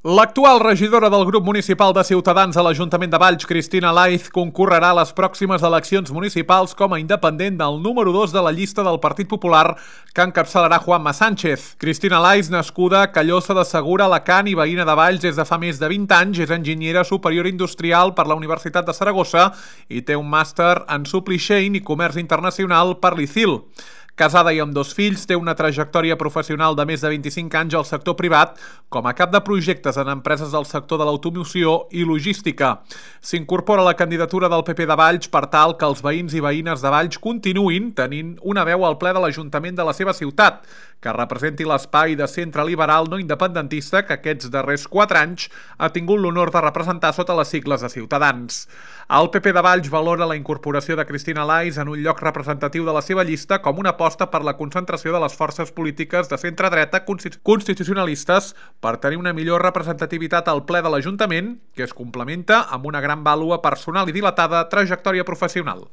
L'actual regidora del grup municipal de Ciutadans a l'Ajuntament de Valls, Cristina Laiz, concorrerà a les pròximes eleccions municipals com a independent del número 2 de la llista del Partit Popular que encapçalarà Juanma Sánchez. Cristina Laiz, nascuda a Callosa de Segura, Alacant i veïna de Valls des de fa més de 20 anys, és enginyera superior industrial per la Universitat de Saragossa i té un màster en supply chain i comerç internacional per l'ICIL. Casada i amb 2 fills, té una trajectòria professional de més de 25 anys al sector privat com a cap de projectes en empreses del sector de l'automoció i logística. S'incorpora a la candidatura del PP de Valls per tal que els veïns i veïnes de Valls continuïn tenint una veu al ple de l'Ajuntament de la seva ciutat, que representi l'espai de centre liberal no independentista que aquests darrers 4 anys ha tingut l'honor de representar sota les sigles de Ciutadans. El PP de Valls valora la incorporació de Cristina Laiz en un lloc representatiu de la seva llista com una aposta per la concentració de les forces polítiques de centre-dreta constitucionalistes per tenir una millor representativitat al ple de l'Ajuntament, que es complementa amb una gran vàlua personal i dilatada trajectòria professional.